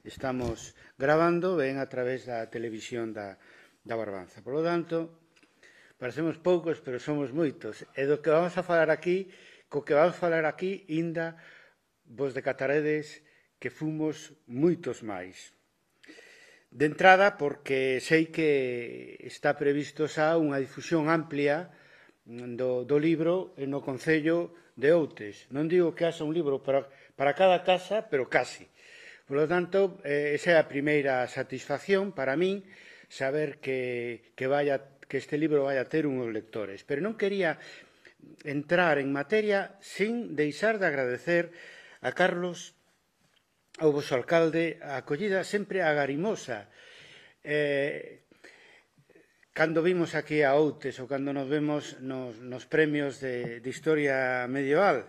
estamos gravando ven a través da televisión da Barbanza. Por lo tanto, parecemos poucos, pero somos moitos. E do que vamos a falar aquí, inda vos decataredes que fomos moitos máis. De entrada, porque sei que está previsto xa unha difusión amplia do libro no Concello de Outes. Non digo que haxa un libro para cada casa, pero casi. Por lo tanto, esa é a primeira satisfacción para min, saber que este libro vai a ter unhos lectores. Pero non quería entrar en materia sin deixar de agradecer a Carlos, ao vosso alcalde, a acollida sempre agarimosa. Cando vimos aquí a Outes ou cando nos vemos nos premios de historia medieval,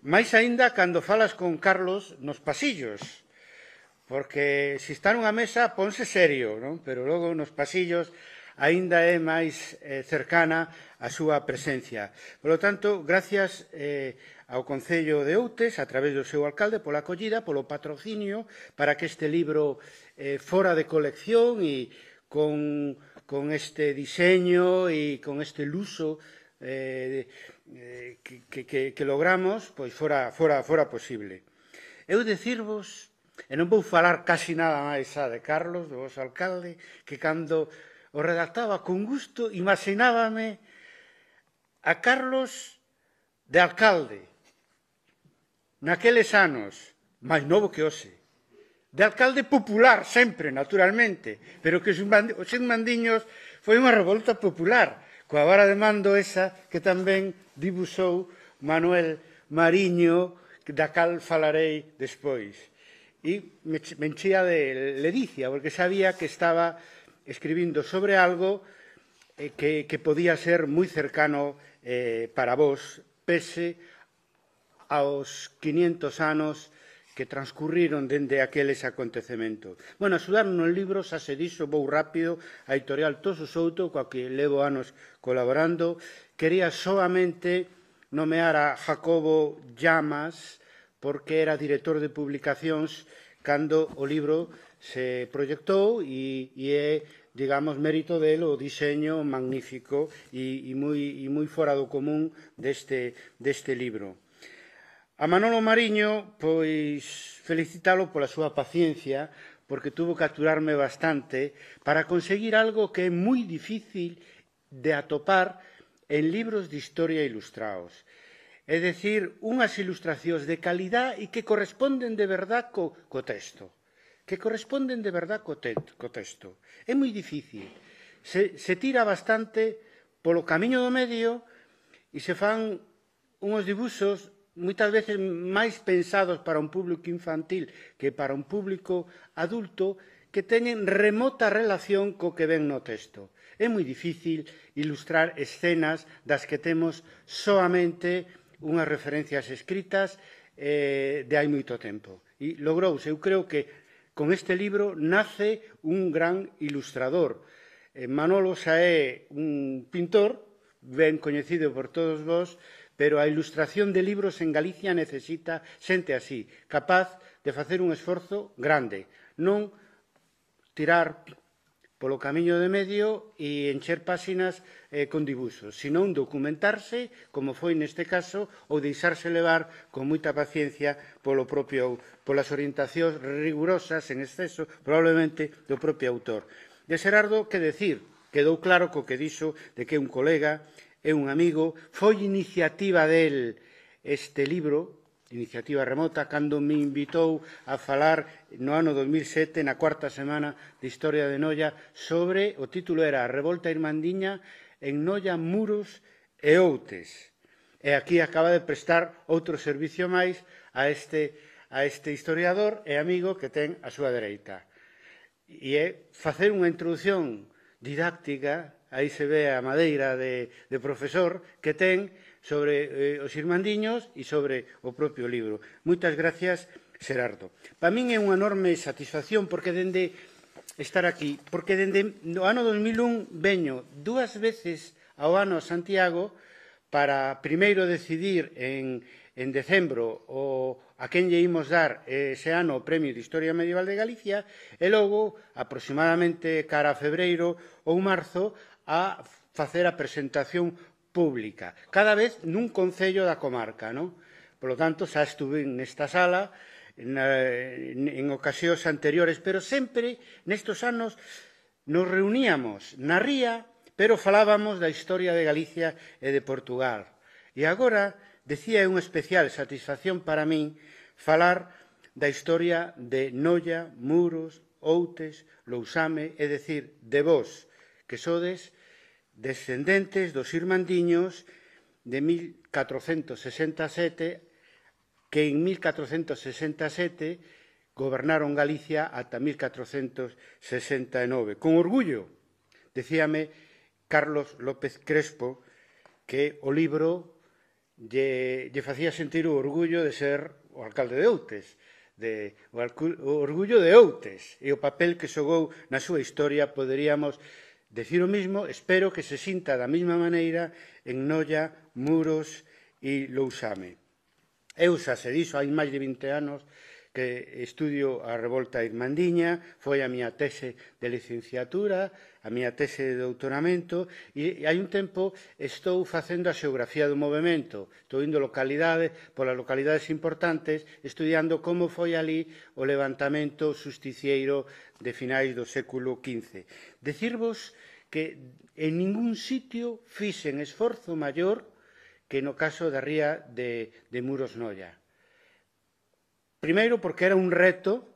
máis aínda cando falas con Carlos nos pasillos, porque se está nunha mesa ponse serio, non? Pero logo nos pasillos aínda é máis cercana a súa presencia. Por lo tanto, gracias ao Concello de Outes, a través do seu alcalde, pola acollida, polo patrocinio, para que este libro fora de colección e con este diseño e con este luso que logramos, pois fora posible. Eu dicirvos, e non vou falar casi nada máis xa de Carlos, do vosso alcalde, que cando o redactaba con gusto, imaginábame a Carlos de alcalde, naqueles anos, máis novo que hoxe, de alcalde popular, sempre, naturalmente, pero que os irmandiños foi unha revolta popular, coa vara de mando esa que tamén dibuixou Manuel Mariño, da cal falarei despois. E me enchía de ledicia, porque sabía que estaba escribindo sobre algo que podía ser moi cercano para vos, pese aos 500 anos que transcurriron dende aqueles acontecementos. Bueno, axudaron no libro, xa se dixo, vou rápido, a editorial Toso Souto, coa que levo anos colaborando. Quería soamente nomear a Jacobo Llamas, porque era director de publicacións cando o libro se proyectou e é, digamos, mérito del o diseño magnífico e moi fora do común deste libro. A Manolo Mariño, pois, felicitalo pola súa paciencia, porque tuvo que aturarme bastante para conseguir algo que é moi difícil de atopar en libros de historia ilustrados. É dicir, unhas ilustracións de calidad e que corresponden de verdad co texto. Que corresponden de verdad co texto. É moi difícil. Se tira bastante polo camiño do medio e se fan unhos dibuxos moitas veces máis pensados para un público infantil que para un público adulto que teñen remota relación co que ven no texto. É moi difícil ilustrar escenas das que temos soamente unhas referencias escritas de hai moito tempo. E logrouse, eu creo que con este libro nace un gran ilustrador. Manolo xa é un pintor ben coñecido por todos vós, pero a ilustración de libros en Galicia necesita xente así, capaz de facer un esforzo grande, non tirar polo camiño de medio e encher páxinas con dibuxos, senón documentarse, como foi neste caso, ou deixarse levar con moita paciencia polas orientacións rigurosas en exceso, probablemente do propio autor. De Xerardo, que decir? Quedou claro co que dixo de que é un colega, é un amigo, foi iniciativa del este libro, iniciativa remota, cando me invitou a falar no ano 2007, na cuarta semana de Historia de Noia, sobre, o título era A revolta irmandiña en Noia, Muros e Outes. E aquí acaba de prestar outro servicio máis a este historiador e amigo que ten a súa dereita. E é facer unha introdución didáctica, aí se ve a madeira de profesor que ten sobre os irmandiños e sobre o propio libro. Moitas gracias, Xerardo. Para min é unha enorme satisfacción porque dende estar aquí, porque dende o ano 2001 veño dúas veces ao ano a Santiago para primeiro decidir en en decembro a quen lle imos dar ese ano o Premio de Historia Medieval de Galicia e logo, aproximadamente cara a febreiro ou marzo, a facer a presentación pública, cada vez nun concello da comarca, non? Por lo tanto, xa estuve nesta sala en ocasións anteriores, pero sempre nestos anos nos reuníamos na ría, pero falábamos da historia de Galicia e de Portugal. E agora, decía, é unha especial satisfacción para min falar da historia de Noia, Muros, Outes, Lousame, é dicir, de vós, que sodes descendentes dos irmandiños de 1467, que en 1467 gobernaron Galicia ata 1469. Con orgullo, decíame Carlos López Crespo, que o libro lle facía sentir o orgullo de ser o alcalde de Outes, o orgullo de Outes, e o papel que xogou na súa historia, poderíamos decir o mismo, espero que se sinta da mesma maneira en Noia, Muros e Lousame. Eu xa se dixo, hai máis de 20 anos que estudio a revolta irmandiña, foi a miña tese de licenciatura, a miña tese de doutoramento, e hai un tempo estou facendo a xeografía do movimento, estou indo polas localidades importantes, estudiando como foi ali o levantamento justicieiro de finais do século XV. Decirvos que en ningún sitio fixen esforzo maior que no caso da ría de Muros Noia. Primeiro, porque era un reto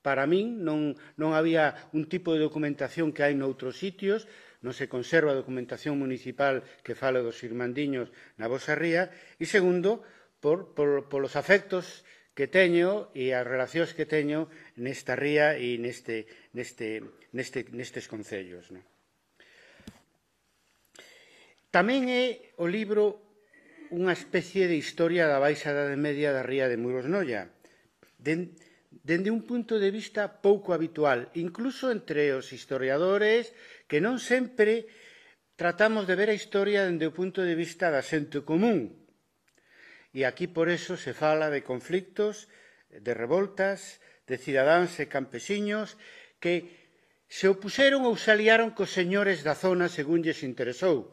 para min, non había un tipo de documentación que hai noutros sitios, non se conserva a documentación municipal que fala dos irmandiños na vosa ría, e segundo, polos afectos que teño e as relacións que teño nesta ría e nestes concellos. Tamén é o libro unha especie de historia da Baixa Idade Media da ría de Muros Noia, dende un punto de vista pouco habitual, incluso entre os historiadores, que non sempre tratamos de ver a historia dende o punto de vista da xente común. E aquí, por eso, se fala de conflictos, de revoltas, de cidadáns e campesiños que se opuseron ou se aliaron cos señores da zona según lles interesou.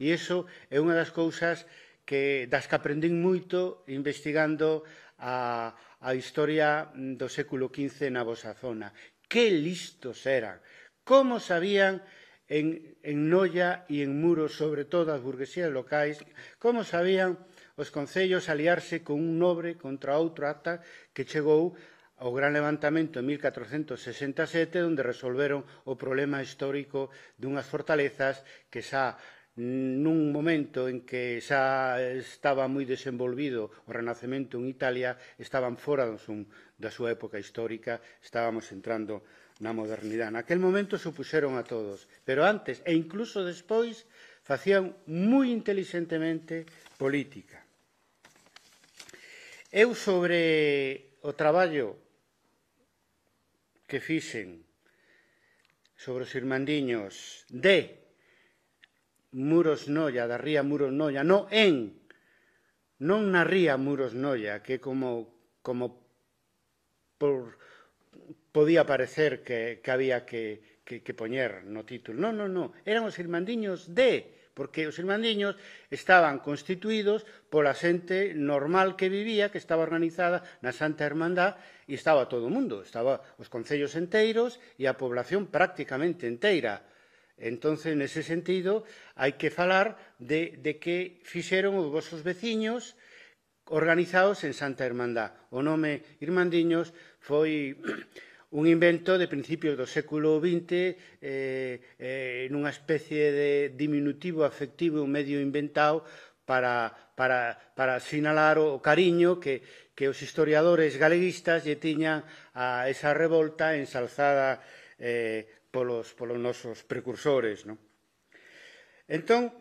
E iso é unha das cousas das que aprendín moito investigando a historia do século XV na vosa zona. Que listos eran! Como sabían en Noia e en Muros, sobre todo as burguesías locais, como sabían os concellos aliarse con un nobre contra outro ata que chegou ao gran levantamento en 1467, onde resolveron o problema histórico dunhas fortalezas que xa nun momento en que xa estaba moi desenvolvido o Renacemento en Italia, estaban fora da súa época histórica, estábamos entrando na modernidade. Naquel momento se opuxeron a todos, pero antes e incluso despois facían moi inteligentemente política. Eu sobre o traballo que fixen sobre os irmandiños de Muros Noia, da ría Muros Noia, non na ría Muros Noia, que como podía parecer que había que poñer no título. Non, eran os irmandiños porque os irmandiños estaban constituídos pola xente normal que vivía, que estaba organizada na Santa Hermandad, e estaba todo o mundo, estaba os concellos enteiros e a población prácticamente inteira. Entón, nese sentido, hai que falar de que fixeron os vosos veciños organizados en Santa Hermandad. O nome Irmandiños foi un invento de principios do século XX, nunha especie de diminutivo afectivo medio inventado para sinalar o cariño que os historiadores galeguistas lle tiñan a esa revolta ensalzada polos nosos precursores. Entón,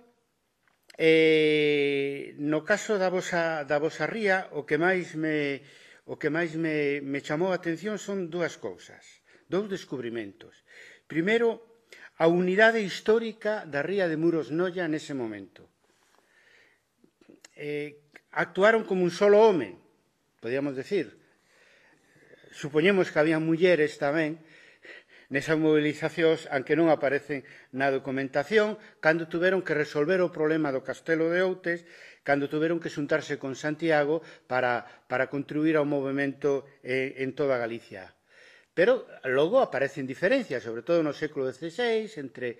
no caso da vosa ría, o que máis me chamou a atención son dúas cousas, dous descubrimentos. Primeiro, a unidade histórica da ría de Muros Noia nese momento. actuaron como un solo home, podíamos decir. Supoñemos que había mulleres tamén nesas mobilizacións, aunque non aparecen na documentación, cando tuveron que resolver o problema do Castelo de Outes, cando tuveron que xuntarse con Santiago para contribuir ao movimento en toda Galicia. Pero logo aparecen diferencias, sobre todo no século XVI, entre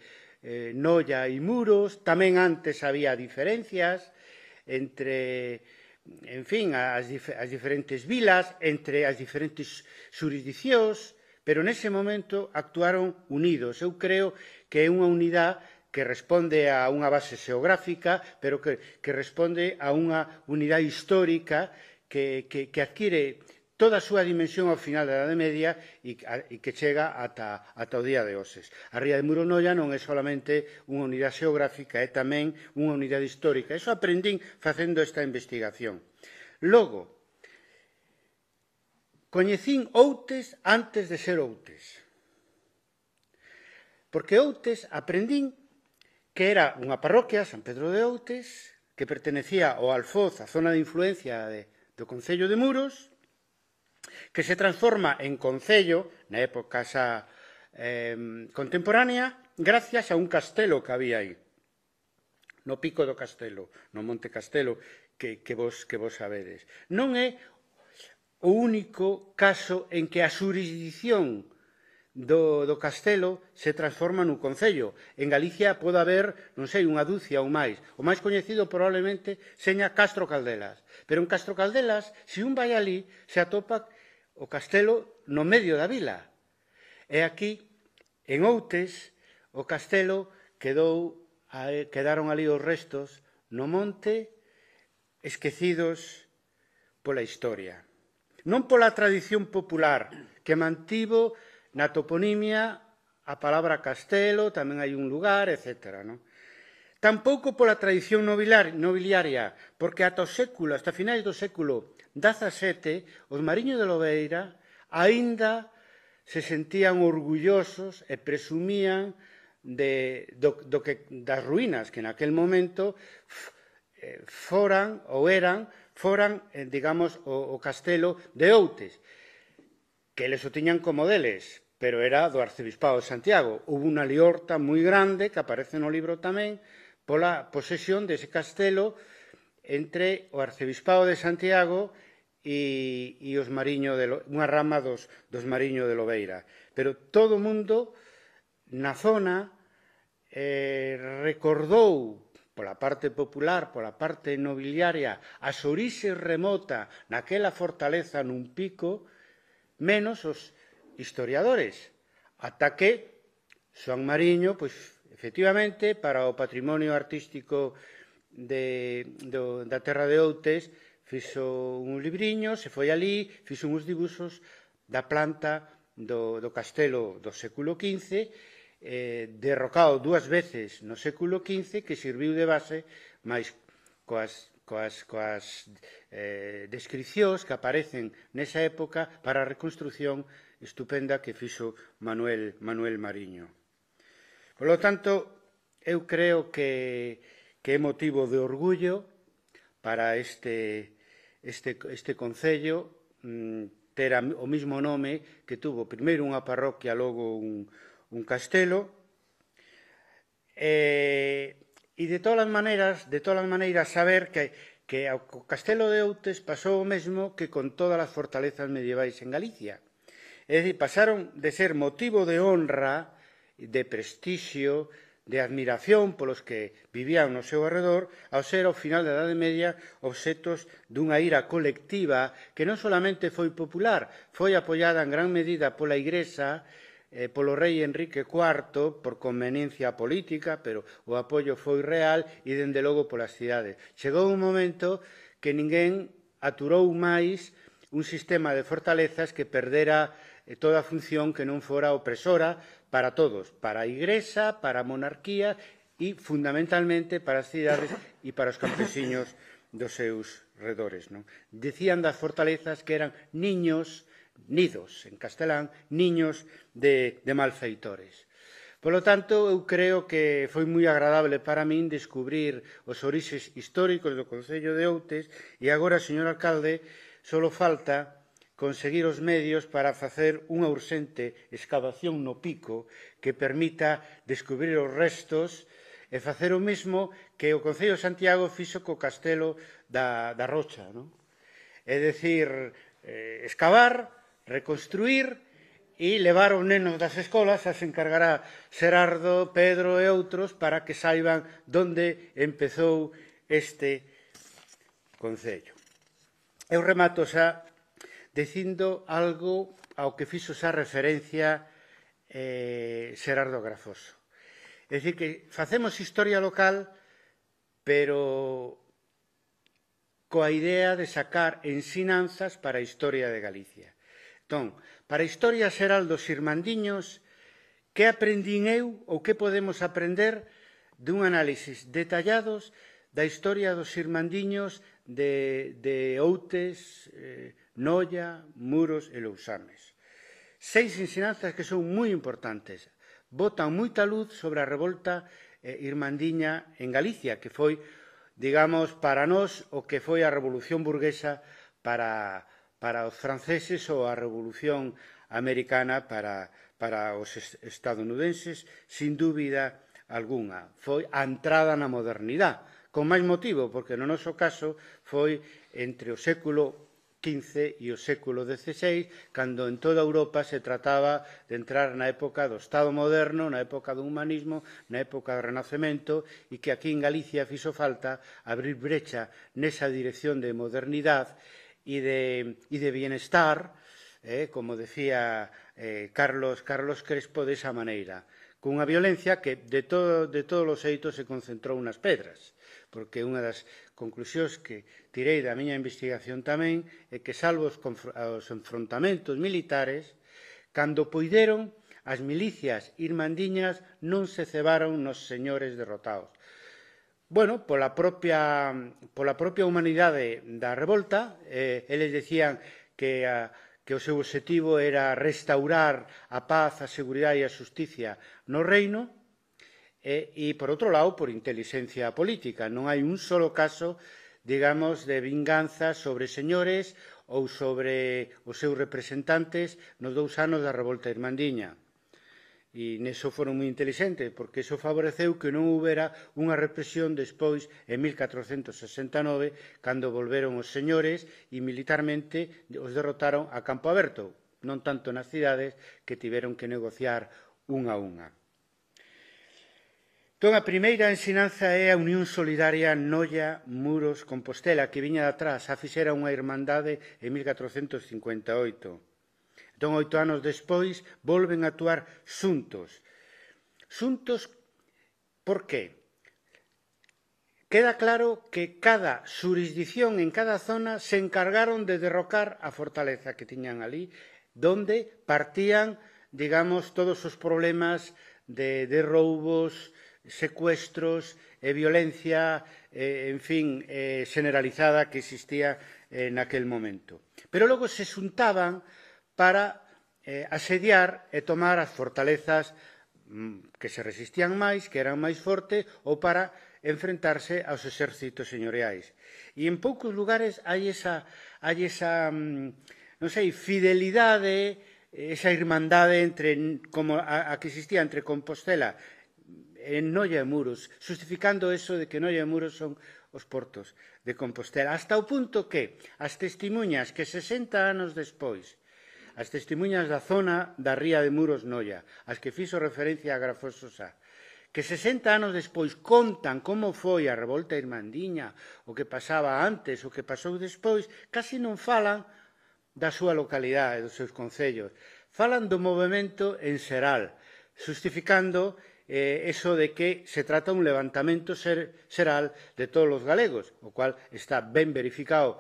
Noia e Muros. Tamén antes había diferencias entre, en fin, as diferentes vilas, entre as diferentes xurisdicións, pero nese momento actuaron unidos. Eu creo que é unha unidade que responde a unha base xeográfica, pero que responde a unha unidade histórica que adquire toda a súa dimensión ao final da Idade Media e que chega ata o día de hoxe. A ría de Muronoia non é solamente unha unidade xeográfica, é tamén unha unidade histórica. Iso aprendín facendo esta investigación. Logo, coñecín Outes antes de ser Outes. Porque Outes aprendín que era unha parroquia, San Pedro de Outes, que pertenecía ao Alfoz, a zona de influencia do Concello de Muros, que se transforma en concello na época xa contemporánea gracias a un castelo que había aí, no Pico do Castelo, no Monte Castelo, que vos sabedes. Non é o único caso en que a xurisdición do castelo se transforma nun concello. En Galicia pode haber, non sei, unha dúcia ou máis. O máis coñecido probablemente seña Castro Caldelas. Pero en Castro Caldelas, se un vai ali, se atopa o castelo no medio da vila. E aquí, en Outes, o castelo quedaron ali os restos no monte, esquecidos pola historia. Non pola tradición popular, que mantivo na toponimia a palabra castelo, tamén hai un lugar, etc. Tampouco pola tradición nobiliaria, porque ata finais do século XVII, os mariños de Lobeira aínda se sentían orgullosos e presumían das ruínas que naquel momento foran, digamos, o castelo de Outes, que eles o tiñan como deles, pero era do Arcebispado de Santiago. Houve unha liorta moi grande, que aparece no libro tamén, pola posesión dese castelo entre o Arcebispado de Santiago e os mariños, unha rama dos mariños de Lobeira. Pero todo o mundo na zona recordou, pola parte popular, pola parte nobiliaria, as orixes remota naquela fortaleza nun pico, menos os historiadores, ata que Xoán Mariño, pois, efectivamente, para o patrimonio artístico da terra de Outes, fixo un libriño, se foi ali, fixo uns dibuxos da planta do castelo do século XV, derrocado 2 veces no século XV, que serviu de base, máis coas descricións que aparecen nesa época para a reconstrucción estupenda que fixo Manuel Mariño. Por lo tanto, eu creo que é motivo de orgullo para este concello ter o mesmo nome que tuvo primeiro unha parroquia, logo un castelo, e de todas as maneiras saber que o castelo de Outes pasou o mesmo que con todas as fortalezas medievais en Galicia. É dicir, pasaron de ser motivo de honra, de prestixio, de admiración polos que vivían no seu arredor, ao ser, ao final da Idade Media, obxetos dunha ira colectiva que non solamente foi popular, foi apoiada en gran medida pola Igrexa, polo rei Enrique IV, por conveniencia política, pero o apoio foi real e, dende logo, polas cidades. Chegou un momento que ninguén aturou máis un sistema de fortalezas que perdera toda a función que non fora opresora para todos, para a Igrexa, para a monarquía e, fundamentalmente, para as cidades e para os campesiños dos seus redores. Dicían das fortalezas que eran nidos, en castelán, niños de malfeitores. Polo tanto, eu creo que foi moi agradable para min descubrir os orixes históricos do Concello de Outes e agora, señor alcalde, só falta conseguir os medios para facer unha urxente excavación no pico que permita descubrir os restos e facer o mesmo que o Concello de Santiago fixo co Castelo da Rocha, non? É dicir, excavar, reconstruir e levar os nenos das escolas, se encargará Xerardo, Pedro e outros para que saiban onde empezou este concello. Eu remato xa dicindo algo ao que fixo xa referencia Xerardo Grafoso. É dicir, que facemos historia local, pero coa idea de sacar ensinanzas para a historia de Galicia. Entón, para a historia xeral dos irmandiños, que aprendín eu ou que podemos aprender dun análisis detallados da historia dos irmandiños de Outes, Noia, Muros e Lousames. 6 ensinanzas que son moi importantes. Botan moita luz sobre a revolta irmandiña en Galicia, que foi, digamos, para nós o que foi a Revolución Burguesa para os franceses ou a Revolución Americana para os estadounidenses, sin dúbida algunha. Foi a entrada na modernidade, con máis motivo, porque no noso caso foi entre o século XV e o século XVI, cando en toda Europa se trataba de entrar na época do Estado moderno, na época do humanismo, na época do Renacemento, e que aquí en Galicia fixo falta abrir brecha nesa dirección de modernidade e de bienestar, como decía Carlos Crespo, desa maneira, cunha violencia que de todos os eitos se concentrou nas pedras, porque unha das conclusións que tirei da miña investigación tamén é que, salvo os enfrontamentos militares, cando poideron, as milicias irmandiñas non se cebaron nos señores derrotados. Bueno, pola propia humanidade da revolta, eles decían que o seu obxectivo era restaurar a paz, a seguridade e a xusticia no reino, e, por outro lado, por inteligencia política. Non hai un solo caso, digamos, de vinganza sobre señores ou sobre os seus representantes nos 2 anos da revolta irmandiña. E neso foron moi inteligentes, porque iso favoreceu que non houbera unha represión despois, en 1469, cando volveron os señores e militarmente os derrotaron a campo aberto, non tanto nas cidades que tiveron que negociar unha a unha. Entón, a primeira ensinanza é a unión solidaria Noia, Muros, Compostela, que viña de atrás, xa fixera unha irmandade en 1458. Entón, 8 anos despois, volven a actuar xuntos. Xuntos, por qué? Queda claro que cada xurisdicción en cada zona se encargaron de derrocar a fortaleza que tiñan ali, donde partían, digamos, todos os problemas de roubos, secuestros e violencia, en fin, generalizada que existía naquel momento. Pero logo se xuntaban para asediar e tomar as fortalezas que se resistían máis, que eran máis fortes, ou para enfrentarse aos exércitos señoriais. E en poucos lugares hai esa non sei, fidelidade, esa irmandade como a que existía entre Compostela en Noia e Muros, justificando eso de que Noia e Muros son os portos de Compostela, hasta o punto que as testemunhas que 60 anos despois, as testemunhas da zona da ría de Muros Noia, as que fixo referencia a Grafoso xa, que 60 anos despois contan como foi a revolta irmandiña, o que pasaba antes, o que pasou despois, casi non falan da súa localidade, dos seus concellos. Falan do movimento en xeral, justificando eso de que se trata un levantamento xeral de todos os galegos, o cual está ben verificado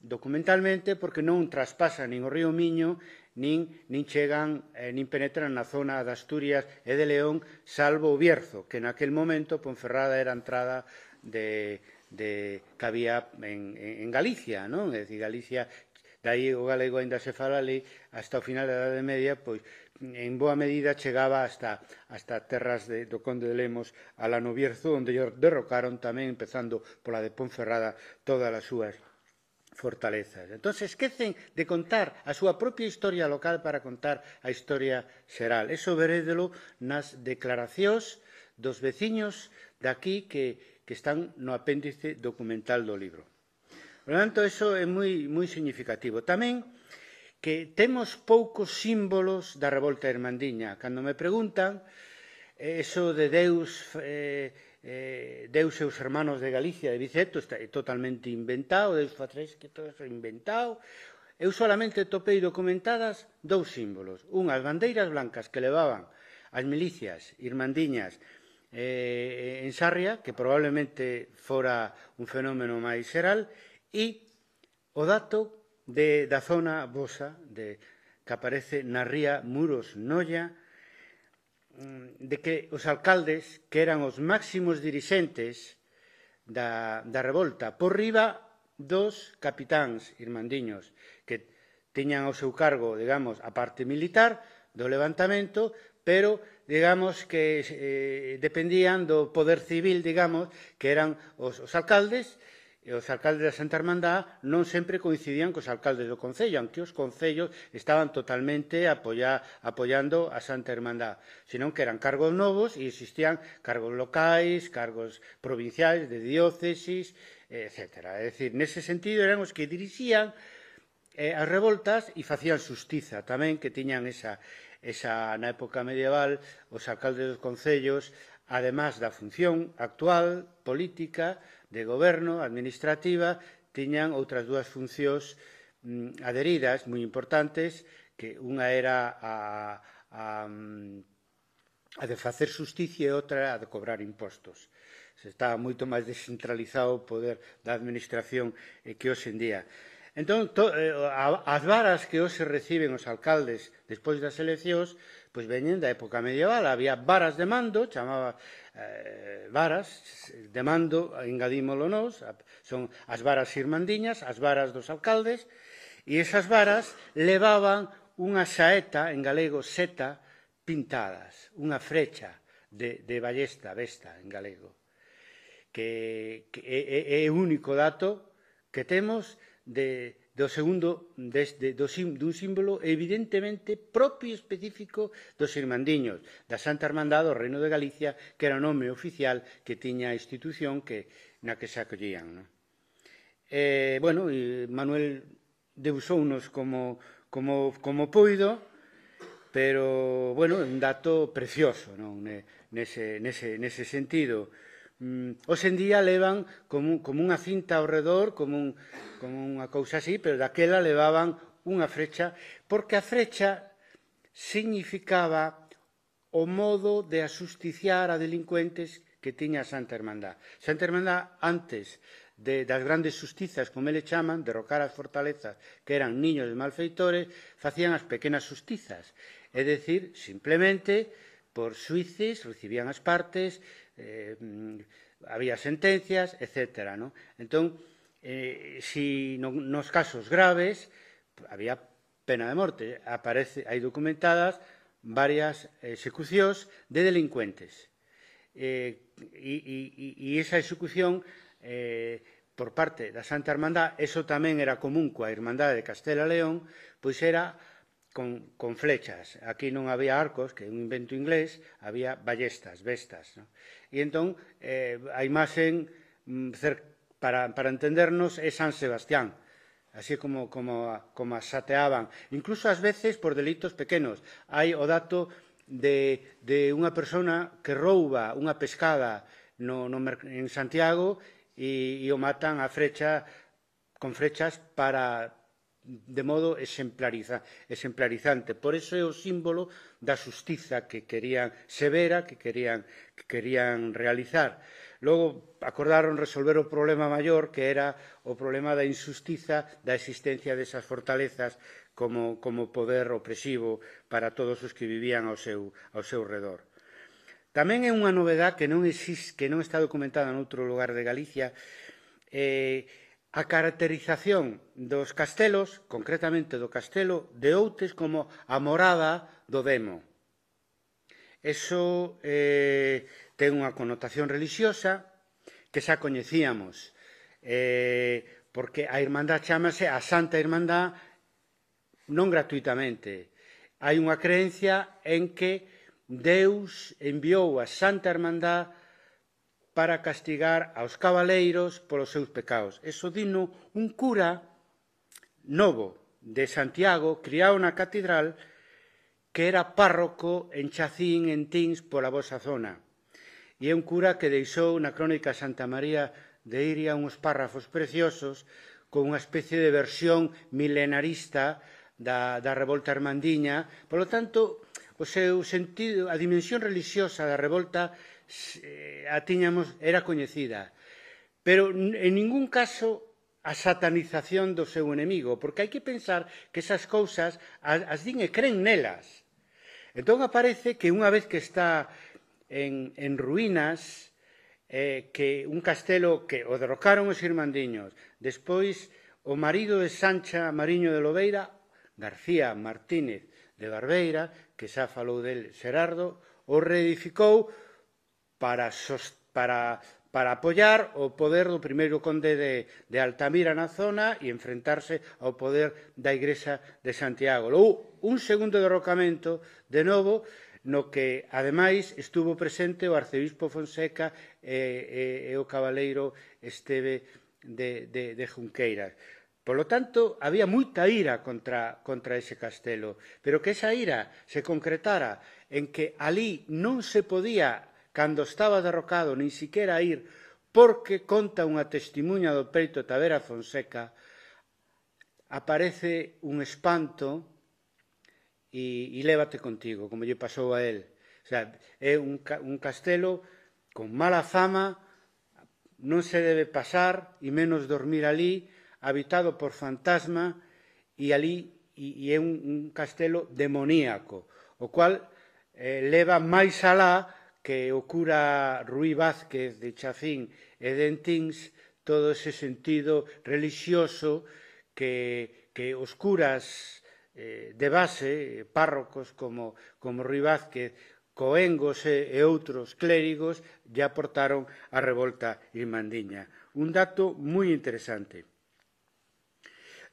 documentalmente porque non traspasa nin o río Miño, nin chegan, nin penetran na zona de Asturias e de León, salvo o Bierzo, que naquel momento Ponferrada era a entrada que había en Galicia, non? É dicir, Galicia Daí o galego aínda se fala ali hasta o final da Idade Media, pois en boa medida chegaba hasta terras do Conde de Lemos a Lano Bierzo, onde derrocaron tamén, empezando pola de Ponferrada, todas as súas fortalezas. Entón, esquecen de contar a súa propia historia local para contar a historia xeral. Eso verédelo nas declaracións dos veciños daqui que están no apéndice documental do libro. Por lo tanto, eso é moi significativo. Tamén que temos poucos símbolos da revolta irmandiña. Cando me preguntan, eso de Deus e os hermanos de Galicia, de Viceto, está totalmente inventado, Deus fa tres, que todo é inventado. Eu solamente topei documentadas dous símbolos. Unhas bandeiras blancas que levaban as milicias irmandiñas en Sarria, que probablemente fora un fenómeno máis xeral, e o dato da zona vosa que aparece na ría Muros Noia, de que os alcaldes, que eran os máximos dirixentes da revolta, por riba dos capitáns irmandiños, que tiñan ao seu cargo, digamos, a parte militar do levantamento, pero, digamos, que dependían do poder civil, digamos, que eran os alcaldes, e os alcaldes da Santa Hermandad non sempre coincidían cos alcaldes do Concello, aunque os concellos estaban totalmente apoiando a Santa Hermandad, senón que eran cargos novos e existían cargos locais, cargos provinciais, de diócesis, etc. É dicir, nese sentido eran os que dirixían as revoltas e facían xustiza tamén, que tiñan esa na época medieval, os alcaldes dos concellos, además da función actual, política, de goberno, administrativa, tiñan outras dúas funcións adheridas, moi importantes, que unha era a de facer xusticia e outra a de cobrar impostos. Estaba moito máis descentralizado o poder da administración que hoxe en día. Entón, as varas que hoxe reciben os alcaldes despois das eleccións, pois veñen da época medieval. Había varas de mando, chamaba varas de mando, engadímolo nós, son as varas irmandiñas, as varas dos alcaldes, e esas varas levaban unha saeta, en galego seta, pintadas, unha frecha de ballesta, besta, en galego, que é o único dato que temos dun símbolo evidentemente propio e específico dos irmandiños, da Santa Hermandad do Reino de Galicia, que era o nome oficial que tiña a institución na que se acollían. Bueno, Manuel deusounos como poido, pero, bueno, é un dato precioso, nese sentido. Hoxe en día levan como unha cinta ao redor, como unha cousa así, pero daquela levaban unha frecha, porque a frecha significaba o modo de asusticiar a delincuentes que tiña a Santa Hermandad. Santa Hermandad, antes das grandes xustizas, como eles chaman, derrocar as fortalezas que eran niños de malfeitores, facían as pequenas xustizas. É dicir, simplemente, por xuíces, recibían as partes, había sentencias, etc. Entón, nos casos graves, había pena de morte. Hai documentadas varias execucións de delincuentes. E esa execución por parte da Santa Hermandad, eso tamén era común coa Irmandade de Castela e León, pois era con flechas. Aquí non había arcos, que é un invento inglés, había ballestas, bestas. E entón, a imaxen, para entendernos, é San Sebastián, así como as sateaban. Incluso ás veces por delitos pequenos. Hai o dato de unha persona que rouba unha pescada en Santiago e o matan con flechas de modo exemplarizante. Por iso é o símbolo da xustiza que querían severa, que querían realizar. Logo, acordaron resolver o problema maior, que era o problema da injustiza da existencia desas fortalezas como poder opresivo para todos os que vivían ao seu redor. Tamén é unha novedad que non está documentada noutro lugar de Galicia, a caracterización dos castelos, concretamente do castelo de Outes, como a morada do demo. Eso ten unha connotación religiosa que xa coñecíamos, porque a Irmandad chámase a Santa Irmandad non gratuitamente. Hai unha creencia en que Deus enviou a Santa Irmandad para castigar aos cabaleiros polos seus pecados. Eso dino un cura novo de Santiago, criado na catedral, que era párroco en Chacín, en Tins, pola vosa zona. E é un cura que deixou na crónica Santa María de Iria uns párrafos preciosos con unha especie de versión milenarista da revolta irmandiña. Por lo tanto, o seu sentido, a dimensión religiosa da revolta a tiñamos, era coñecida. Pero en ningún caso a satanización do seu enemigo, porque hai que pensar que esas cousas as din e creen nelas. Entón aparece que unha vez que está en ruínas, que un castelo que o derrocaron os irmandiños, despois o marido de Sancha Mariño de Lobeira, García Martínez de Barbeira, que xa falou del Xerardo, o reedificou para apoiar o poder do primeiro conde de Altamira na zona e enfrentarse ao poder da Igrexa de Santiago. Logo, un segundo derrocamento, de novo, no que, ademais, estuvo presente o arcebispo Fonseca e o cabaleiro Esteve de Junqueiras. Por lo tanto, había moita ira contra ese castelo, pero que esa ira se concretara en que alí non se podía, cando estaba derrocado, nin siquiera ir, porque conta unha testimuña do Peito Tavera Fonseca, aparece un espanto e lévate contigo, como lle pasou a él. O sea, é un castelo con mala fama, non se debe pasar, e menos dormir alí, habitado por fantasma, e alí é un castelo demoníaco, o cual leva máis alá que o cura Ruí Vázquez de Chafín e de Entins, todo ese sentido religioso que os curas de base, párrocos como Ruí Vázquez, coengos e outros clérigos, lle aportaron a revolta irmandiña. Un dato moi interesante.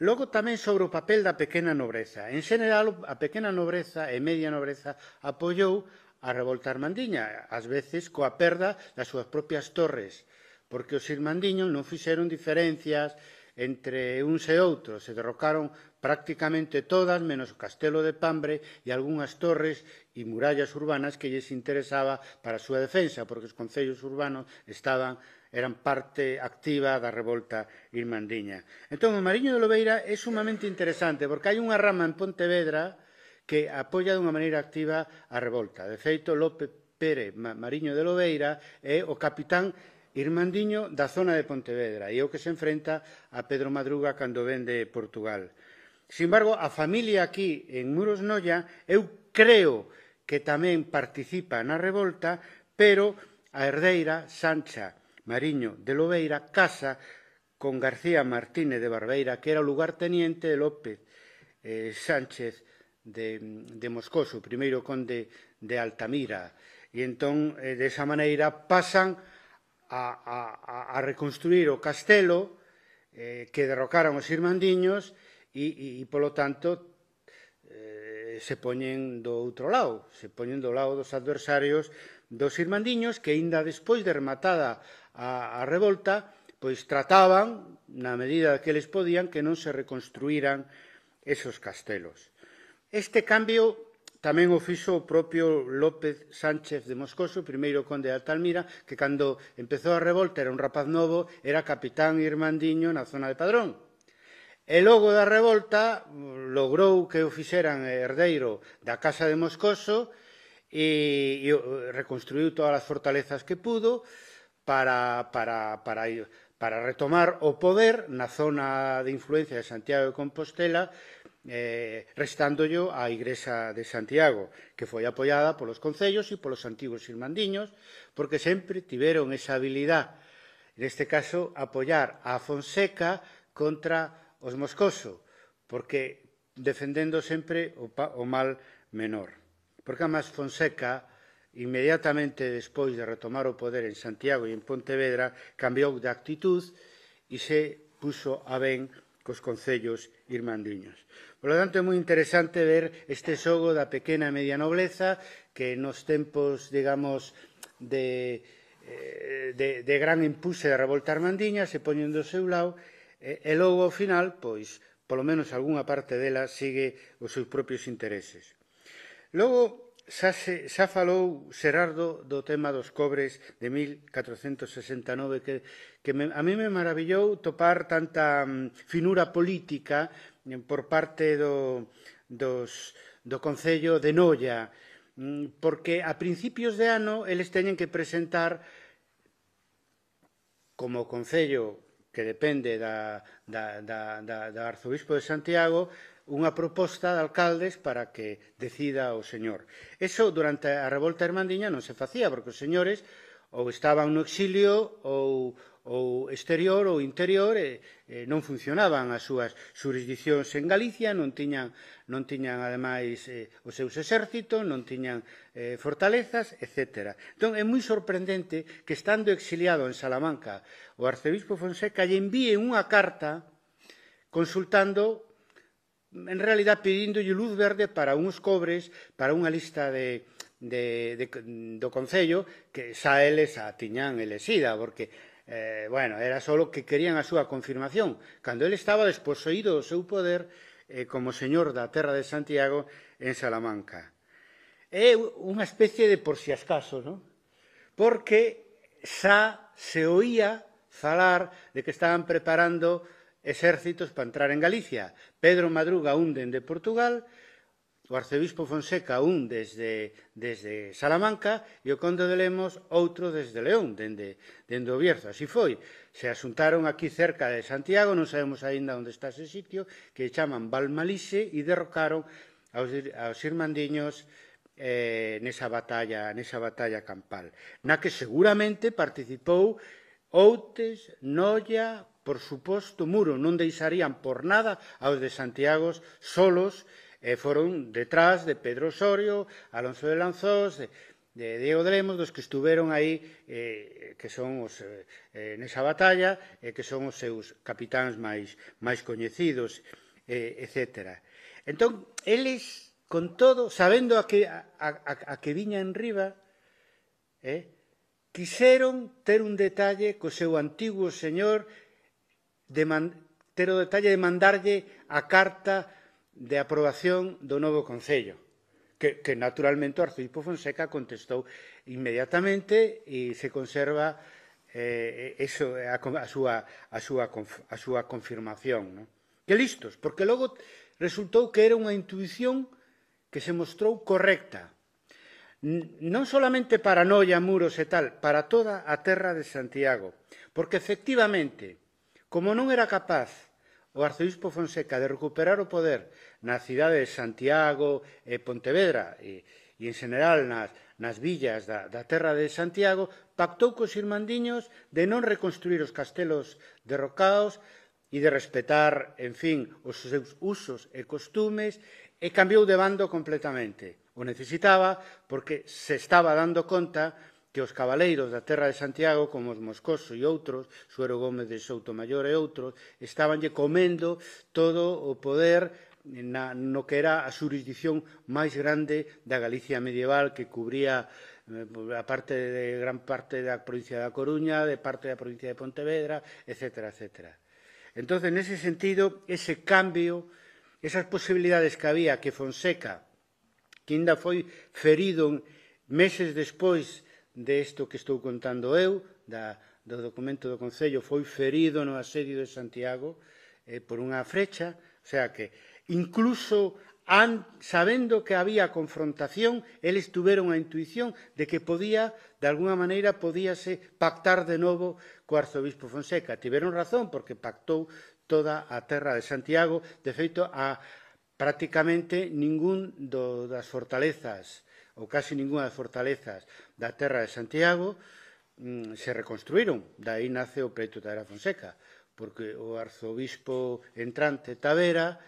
Logo tamén sobre o papel da pequena nobreza. En xeral, a pequena nobreza e media nobreza apoiou a revolta irmandiña, ás veces coa perda das súas propias torres, porque os irmandiños non fixeron diferencias entre uns e outros, se derrocaron prácticamente todas, menos o castelo de Pambre e algunhas torres e murallas urbanas que lles interesaba para a súa defensa, porque os concellos urbanos eran parte activa da revolta irmandiña. Entón, o Mariño de Lobeira é sumamente interesante, porque hai unha rama en Pontevedra que apoia dunha maneira activa a revolta. De feito, Lope Pérez Mariño de Lobeira é o capitán irmandiño da zona de Pontevedra e é o que se enfrenta a Pedro Madruga cando ven de Portugal. Sin embargo, a familia aquí en Muros Noia, eu creo que tamén participa na revolta, pero a herdeira Sancha Mariño de Lobeira casa con García Martínez de Barbeira, que era o lugarteniente de López Sánchez de Moscoso, o primeiro conde de Altamira. E entón, desa maneira, pasan a reconstruir o castelo que derrocaron os irmandiños e polo tanto, se poñen do outro lado, se poñen do lado dos adversarios dos irmandiños que, aínda despois de rematada a revolta, pois trataban, na medida que eles podían, que non se reconstruíran esos castelos. Este cambio tamén o fixo o propio López Sánchez de Moscoso, primeiro conde de Altamira, que cando empezou a revolta era un rapaz novo, era capitán irmandiño na zona de Padrón. E logo da revolta logrou que o fixeran herdeiro da Casa de Moscoso e reconstruiu todas as fortalezas que pudo para retomar o poder na zona de influencia de Santiago de Compostela, restándolle á Igrexa de Santiago, que foi apoiada polos concellos e polos antigos irmandiños, porque sempre tiveron esa habilidade neste caso, apoiar a Fonseca contra os Moscoso, porque defendendo sempre o mal menor. Porque, además, Fonseca, inmediatamente despois de retomar o poder en Santiago e en Pontevedra, cambiou de actitud e se puxo a ben cos concellos irmandiños. Por lo tanto, é moi interesante ver este xogo da pequena e media nobleza que nos tempos, digamos, de gran impulse da revolta irmandiña se poñen do seu lado e logo, ao final, pois, polo menos algunha parte dela sigue os seus propios intereses. Logo, xa falou Xerardo do tema dos cobres de 1469 que a mí me maravillou topar tanta finura política por parte do Concello de Noia, porque a principios de ano eles teñen que presentar como Concello que depende do Arzobispo de Santiago unha proposta de alcaldes para que decida o señor. Eso durante a revolta irmandiña non se facía, porque os señores ou estaban no exilio ou exterior ou interior e non funcionaban as súas xurisdiccións en Galicia, non tiñan ademais os seus exércitos, non tiñan fortalezas, etc. Entón, é moi sorprendente que estando exiliado en Salamanca o arcebispo Fonseca lle envíe unha carta consultando, en realidad pidíndolle luz verde para uns cobres, para unha lista do Concello que xa eles a tiñan elexida, porque era só que querían a súa confirmación, cando ele estaba desposeído do seu poder como señor da terra de Santiago en Salamanca. É unha especie de por si acaso, non? Porque xa se oía falar de que estaban preparando exércitos para entrar en Galicia. Pedro Madruga un dende Portugal, o arcebispo Fonseca un desde Salamanca e o conde de Lemos outro desde León, dende o Bierzo. Así foi. Se asuntaron aquí cerca de Santiago, non sabemos aínda onde está ese sitio, que chaman Valmalixe e derrocaron aos irmandiños nesa batalla campal, na que seguramente participou Outes, Noia, por suposto, Muro. Non deixarían por nada aos de Santiago solos, foron detrás de Pedro Osorio, Alonso de Lanzós, de Diego de Lemos, dos que estuveron aí, que son nesa batalla, que son os seus capitáns máis coñecidos, etc. Entón, eles, con todo, sabendo a que viña en riba, quixeron ter un detalle co seu antigo señor, ter o detalle de mandarlle a carta de aprobación do novo Concello, que naturalmente o arcebispo Fonseca contestou inmediatamente e se conserva a súa confirmación. Que listos, porque logo resultou que era unha intuición que se mostrou correcta, non solamente para Noia, Muros e tal, para toda a terra de Santiago, porque efectivamente, como non era capaz o arcebispo Fonseca de recuperar o poder na cidade de Santiago e Pontevedra e en general nas villas da terra de Santiago, pactou cos irmandiños de non reconstruir os castelos derrocados e de respetar, en fin, os seus usos e costumes, e cambiou de bando completamente. O necesitaba porque se estaba dando conta que os cabaleiros da terra de Santiago, como os Moscoso e outros, Suero Gómez de Soutomayor e outros, estabanlle comendo todo o poder no que era a xurisdicción máis grande da Galicia medieval, que cubría a gran parte da provincia da Coruña, de parte da provincia de Pontevedra, etc. Entón, nese sentido, ese cambio, esas posibilidades que había que Fonseca, que ainda foi ferido meses despois desto que estou contando eu, do documento do Concello, foi ferido no asedio de Santiago por unha frecha, o sea que incluso sabendo que había confrontación, eles tuveron a intuición de que de alguna maneira, podíase pactar de novo co arzobispo Fonseca. Tiveron razón, porque pactou toda a terra de Santiago. De feito, prácticamente ningún das fortalezas, ou casi ninguna das fortalezas da terra de Santiago, se reconstruíron. Daí nace o pleito Tavera Fonseca, porque o arzobispo entrante Tavera,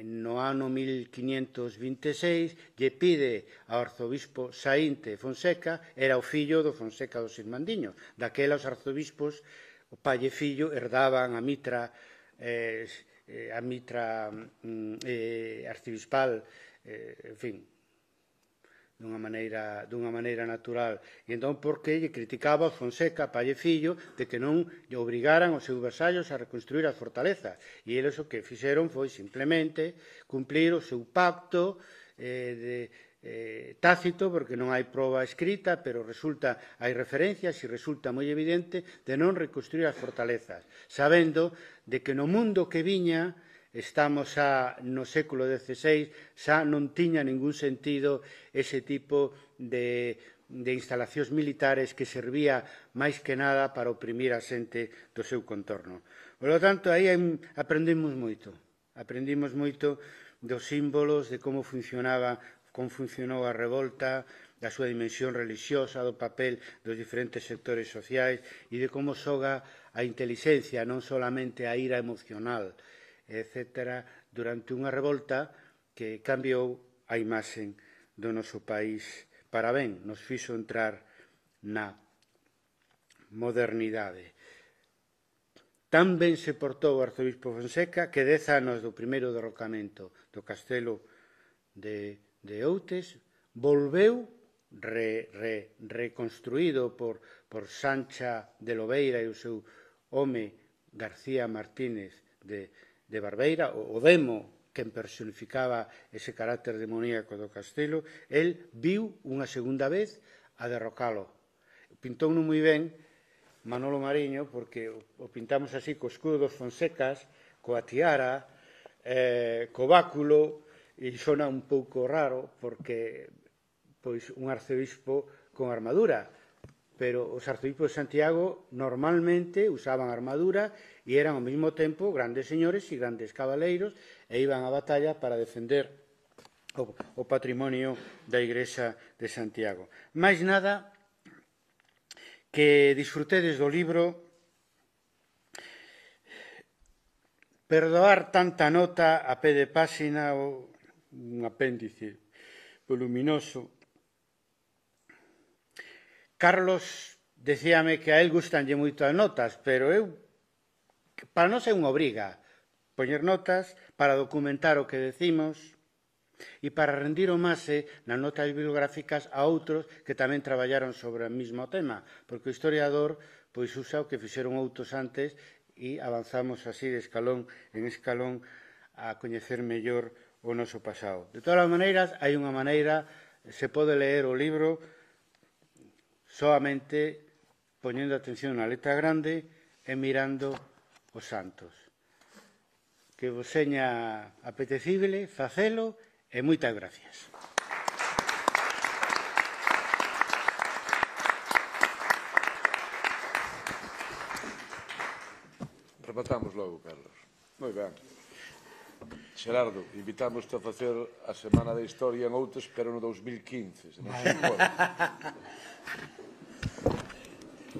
no ano 1526, lle pide ao arzobispo Saínte Fonseca, era o fillo do Fonseca dos Irmandiños. Daquela os arzobispos, o pai e fillo, herdaban a mitra arcibispal, en fin, dunha maneira natural. E entón, por que lle criticaba a Fonseca, pai e fillo, de que non lle obrigaran os seus vasallos a reconstruir as fortalezas. E eles o que fixeron foi simplemente cumplir o seu pacto tácito, porque non hai proba escrita, pero hai referencias e resulta moi evidente de non reconstruir as fortalezas, sabendo de que no mundo que viña, estamos no século XVI, xa non tiña ningún sentido ese tipo de instalacións militares que servía máis que nada para oprimir a xente do seu contorno. Por lo tanto, aí aprendimos moito dos símbolos, de como funcionou a revolta, da súa dimensión religiosa, do papel dos diferentes sectores sociais e de como xoga a intelixencia, non solamente a ira emocional, etc., durante unha revolta que cambiou a imaxe do noso país para ben, nos fixo entrar na modernidade. Tan ben se portou o arzobispo Fonseca que 10 anos do primeiro derrocamento do castelo de Outes volveu reconstruído por Sancha de Lobeira e o seu home García Martínez de Barbeira, o demo que personificaba ese carácter demoníaco do castelo. El viu unha segunda vez a derrocalo. Pintou moi ben Manolo Mariño, porque o pintamos así co escudo dos Fonsecas, coa tiara, co báculo, e sona un pouco raro, porque un arcebispo con armadura, pero os arcebispos de Santiago normalmente usaban armadura e eran ao mesmo tempo grandes señores e grandes cabaleiros e iban á batalla para defender o patrimonio da Igrexa de Santiago. Máis nada, que disfrutedes do libro. Perdoar tanta nota a pé de páxina, un apéndice voluminoso. Carlos decíame que a él gustanlle moito as notas, pero para nós é unha obriga poñer notas para documentar o que decimos e para rendir homaxe nas notas bibliográficas a outros que tamén traballaron sobre o mesmo tema, porque o historiador usa o que fixeron outros antes e avanzamos así de escalón en escalón a coñecer mellor o noso pasado. De todas as maneiras, hai unha maneira, se pode ler o libro solamente poñendo atención na letra grande e mirando os santos. Que vos seña apetecible facelo e moitas gracias. Rematamos logo, Carlos. Moi ben. Xerardo, invitámoste a facer a Semana da Historia en Outes, pero no 2015, se non se importa.